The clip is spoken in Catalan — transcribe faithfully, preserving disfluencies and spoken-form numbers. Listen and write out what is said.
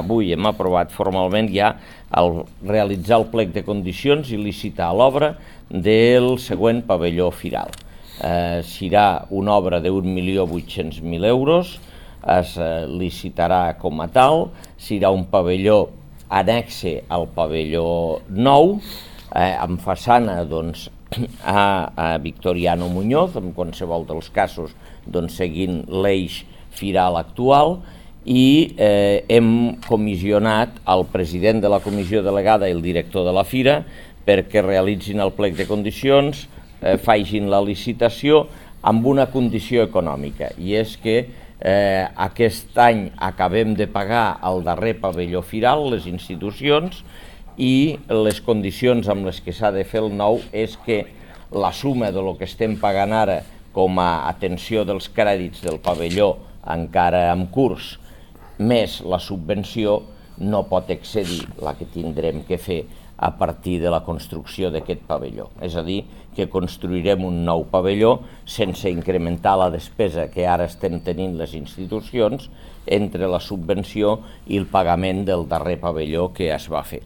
Avui hem aprovat formalment ja el realitzar el plec de condicions i licitar l'obra del següent pavelló firal. Eh, serà una obra d'un milió vuit-cents mil euros, es eh, licitarà com a tal, serà un pavelló annexe al pavelló nou, eh, amb façana doncs, a, a Victoriano Muñoz, en qualsevol dels casos doncs, seguint l'eix firal actual, i eh, hem comissionat el president de la comissió delegada i el director de la fira perquè realitzin el plec de condicions, eh, facin la licitació amb una condició econòmica, i és que eh, aquest any acabem de pagar el darrer pavelló firal, les institucions, i les condicions amb les que s'ha de fer el nou és que la suma de lo que estem pagant ara com a atenció dels crèdits del pavelló encara en curs, més la subvenció, no pot excedir la que tindrem que fer a partir de la construcció d'aquest pavelló. És a dir, que construirem un nou pavelló sense incrementar la despesa que ara estem tenint les institucions entre la subvenció i el pagament del darrer pavelló que es va fer.